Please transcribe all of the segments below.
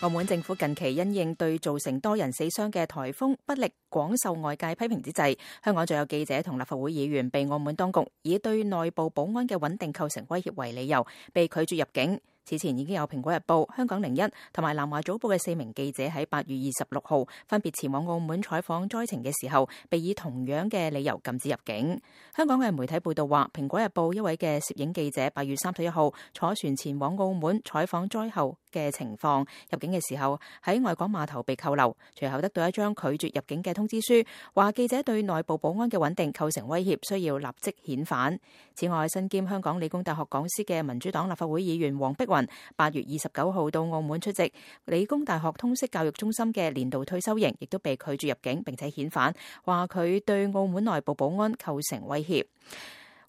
澳門政府近期因應對造成多人死傷嘅颱風不力廣受外界批評之際，香港就有記者同立法會議員被澳門當局以對內部保安嘅穩定構成威脅為理由，被拒絕入境。此前已經有《蘋果日報》、香港01同埋南華早報嘅4名記者喺8月26號分別前往澳門採訪災情嘅時候，被以同樣嘅理由禁止入境。香港嘅媒體報道話，《蘋果日報》一位嘅攝影記者8月31號坐船前往澳門採訪災後嘅情況，入境嘅時候喺外港碼頭被扣留，隨後得到一張拒絕入境嘅通知書，話記者對內部保安嘅穩定構成威脅，需要立即遣返。此外，身兼香港理工大學講師嘅民主黨立法會議員黃碧雲8月29號到澳門出席理工大學通識教育中心嘅年度退休營，亦都被拒絕入境並且遣返，話佢對澳門內部保安構成威脅。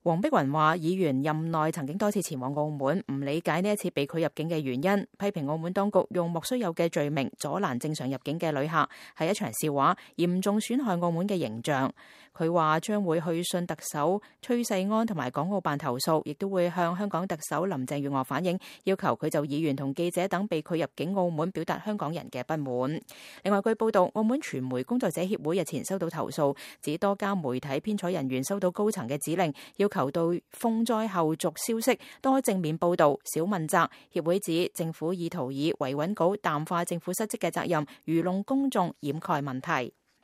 黃碧雲話，議員任內曾經多次前往澳門，唔理解呢一次被拒入境嘅原因，批評澳門當局用莫須有嘅罪名阻攔正常入境嘅旅客，係一場笑話，嚴重損害澳門嘅形象。佢話將會去信特首崔世安同埋港澳辦投訴，亦都會向香港特首林鄭月娥反映，要求佢就議員同記者等被拒入境澳門表達香港人嘅不滿。另外，據報道，澳門傳媒工作者協會日前收到投訴，指多家媒體編採人員收到高層嘅指令，要求到風災後續消息多正面報導，少問責。協會指政府意圖以維穩稿淡化政府失職嘅責任，愚弄公眾，掩蓋問題。